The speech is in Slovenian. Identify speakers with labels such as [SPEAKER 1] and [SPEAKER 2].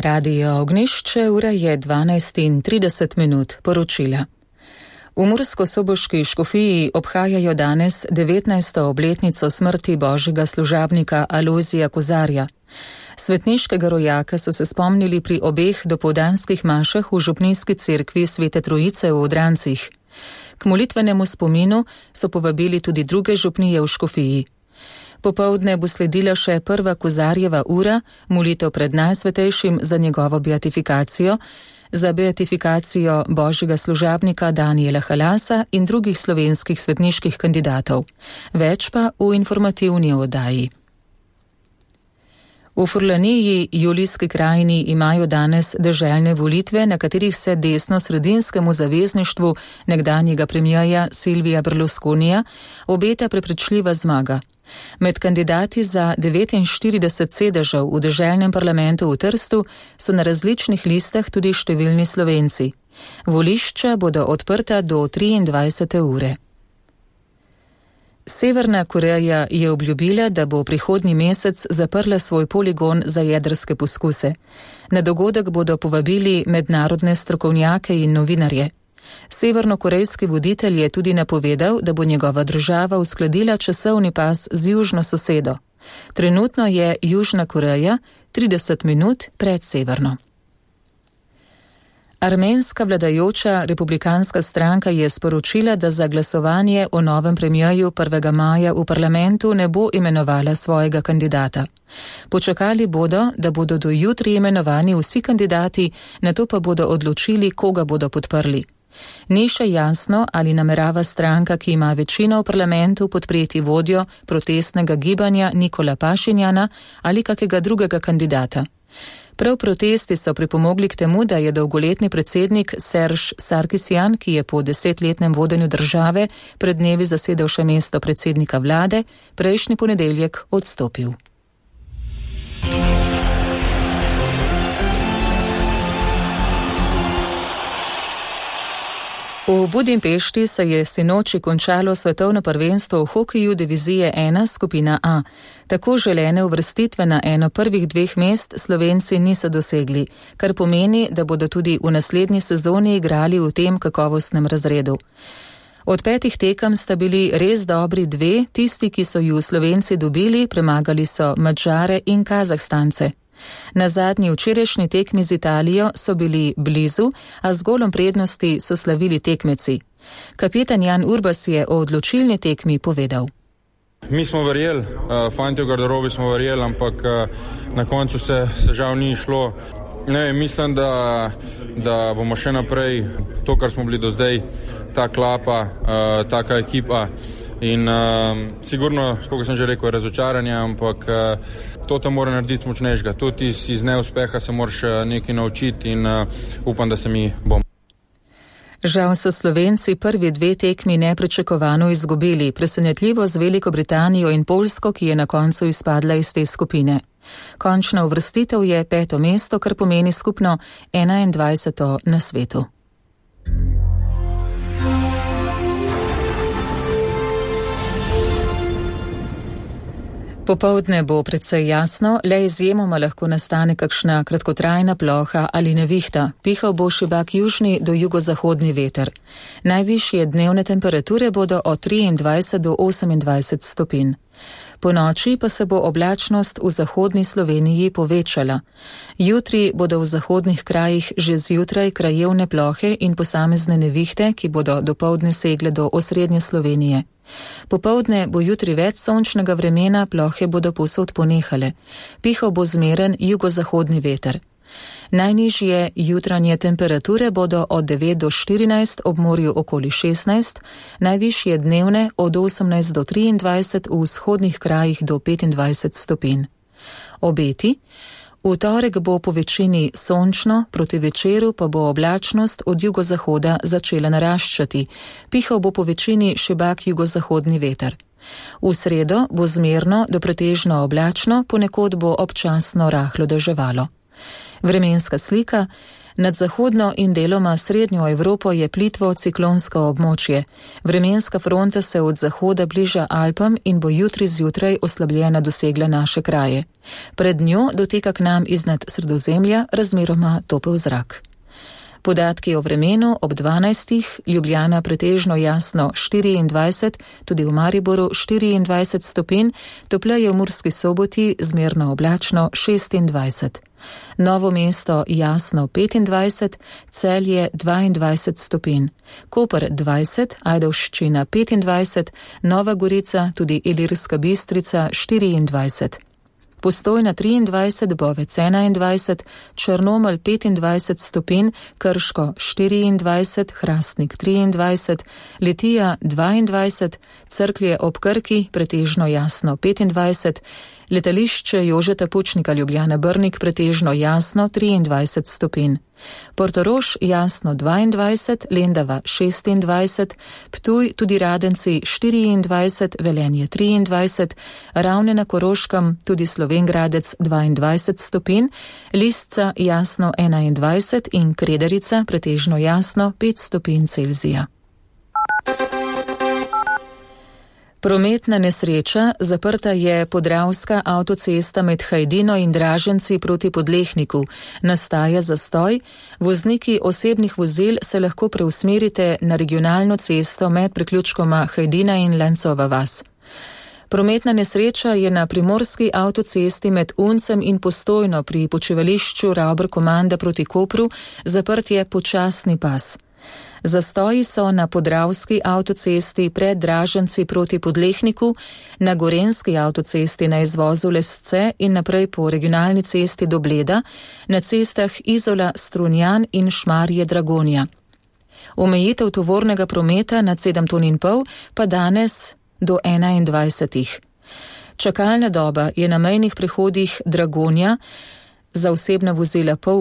[SPEAKER 1] Radio Ognjišče, ura je 12:30, poročila. V Mursko-Soboški škofiji obhajajo danes 19. obletnico smrti božjega služabnika Alojzija Kozarja. Svetniškega rojaka so se spomnili pri obeh dopoldanskih mašah v župnijski cerkvi Svete Trojice v Odrancih. K molitvenemu spominu so povabili tudi druge župnije v škofiji. Popoldne bo sledila še prva Kozarjeva ura, molitev pred Najsvetejšim za njegovo beatifikacijo, za beatifikacijo božjega služabnika Danijela Halasa in drugih slovenskih svetniških kandidatov. Več pa v informativni oddaji. V Furlaniji, Julijski krajini, imajo danes deželne volitve, na katerih se desno-sredinskemu zavezništvu nekdanjega premierja Silvija Berlusconija obeta prepričljiva zmaga. Med kandidati za 49 sedežev v deželnem parlamentu v Trstu so na različnih listah tudi številni Slovenci. Volišča bodo odprta do 23. ure. Severna Koreja je obljubila, da bo prihodnji mesec zaprla svoj poligon za jedrske poskuse. Na dogodek bodo povabili mednarodne strokovnjake in novinarje. Severnokorejski voditelj je tudi napovedal, da bo njegova država uskladila časovni pas z južno sosedo. Trenutno je Južna Koreja 30 minut pred severno. Armenska vladajoča republikanska stranka je sporočila, da za glasovanje o novem premierju 1. maja v parlamentu ne bo imenovala svojega kandidata. Počakali bodo, da bodo do jutri imenovani vsi kandidati, nato pa bodo odločili, koga bodo podprli. Ni še jasno, ali namerava stranka, ki ima večino v parlamentu, podpreti vodjo protestnega gibanja Nikola Pašinjana ali kakega drugega kandidata. Prav protesti so pripomogli k temu, da je dolgoletni predsednik Serž Sarkisjan, ki je po 10-letnem vodenju države pred dnevi zasedel še mesto predsednika vlade, prejšnji ponedeljek odstopil. V Budimpešti se je sinoči končalo svetovno prvenstvo v hokeju divizije 1 skupina A. Tako želene uvrstitve na eno prvih dveh mest Slovenci niso dosegli, kar pomeni, da bodo tudi v naslednji sezoni igrali v tem kakovostnem razredu. Od 5 tekem sta bili res dobri 2, tisti, ki so ju Slovenci dobili, premagali so Madžare in Kazahstance. Na zadnji včerajšnji tekmi z Italijo so bili blizu, a z golom prednosti so slavili tekmeci. Kapetan Jan Urbas je o odločilni tekmi povedal.
[SPEAKER 2] Mi smo verjeli, fanti v garderobi smo verjeli, ampak na koncu se žal ni šlo. Mislim, da bomo še naprej to, kar smo bili do zdaj, ta klapa, taka ekipa. In sigurno, kako sem že rekel, je razočaranje, ampak to te mora narediti močnejšega. Tudi iz neuspeha se moraš nekaj naučiti in upam, da se mi bom.
[SPEAKER 1] Žal so Slovenci prvi 2 tekmi nepričakovano izgubili, presenetljivo z Veliko Britanijo in Poljsko, ki je na koncu izpadla iz te skupine. Končna uvrstitev je 5. mesto, kar pomeni skupno 21. na svetu. Popoldne bo precej jasno, le izjemoma lahko nastane kakšna kratkotrajna ploha ali nevihta. Pihal bo šibak južni do jugozahodni veter. Najvišje dnevne temperature bodo od 23 do 28 stopinj. Po noči pa se bo oblačnost v zahodni Sloveniji povečala. Jutri bodo v zahodnih krajih že zjutraj krajevne plohe in posamezne nevihte, ki bodo dopoldne segle do osrednje Slovenije. Popoldne bo jutri več sončnega vremena, plohe bodo povsod ponehale. Pihal bo zmeren jugozahodni veter. Najnižje jutranje temperature bodo od 9 do 14, ob morju okoli 16, najvišje dnevne od 18 do 23, v vzhodnih krajih do 25 stopinj. Obeti. V torek bo po večini sončno, proti večeru pa bo oblačnost od jugozahoda začela naraščati. Pihal bo po večini šibak jugozahodni veter. V sredo bo zmerno do pretežno oblačno, ponekod bo občasno rahlo deževalo. Vremenska slika. Nad zahodno in deloma srednjo Evropo je plitvo ciklonsko območje. Vremenska fronta se od zahoda bliža Alpam in bo jutri zjutraj oslabljena dosegla naše kraje. Pred njo doteka k nam iznad Sredozemlja razmeroma topel zrak. Podatki o vremenu ob 12. Ljubljana pretežno jasno 24, tudi v Mariboru 24 stopinj, topleje v Murski Soboti zmerno oblačno 26. Novo mesto jasno 25, Celje 22 stopinj, Koper 20, Ajdovščina 25, Nova Gorica, tudi Ilirska Bistrica 24. Postojna 23, Bovec 21, Črnomelj 25 stopinj, Krško 24, Hrastnik 23, Litija 22, Cerklje ob Krki pretežno jasno 25, Letališče Jožeta Pučnika Ljubljana Brnik pretežno jasno 23 stopinj. Portorož jasno 22, Lendava 26, Ptuj tudi Radenci 24, Velenje 23, Ravne na Koroškem tudi Slovenj Gradec 22 stopinj, Lisca jasno 21 in Kredarica pretežno jasno 5 stopinj Celzija. Prometna nesreča, zaprta je podravska avtocesta med Hajdino in Draženci proti Podlehniku. Nastaja zastoj, vozniki osebnih vozil se lahko preusmerite na regionalno cesto med priključkoma Hajdina in Lencova vas. Prometna nesreča je na primorski avtocesti med Uncem in Postojno pri počivališču Ravber-Komanda proti Kopru, zaprt je počasni pas. Zastoji so na podravski avtocesti pred Draženci proti Podlehniku, na gorenski avtocesti na izvozu Lesce in naprej po regionalni cesti do Bleda, na cestah Izola, Strunjan in Šmarje Dragonja. Omejitev tovornega prometa nad 7,5 ton pa danes do 21. Čakalna doba je na mejnih prehodih Dragonja za osebna vozila pol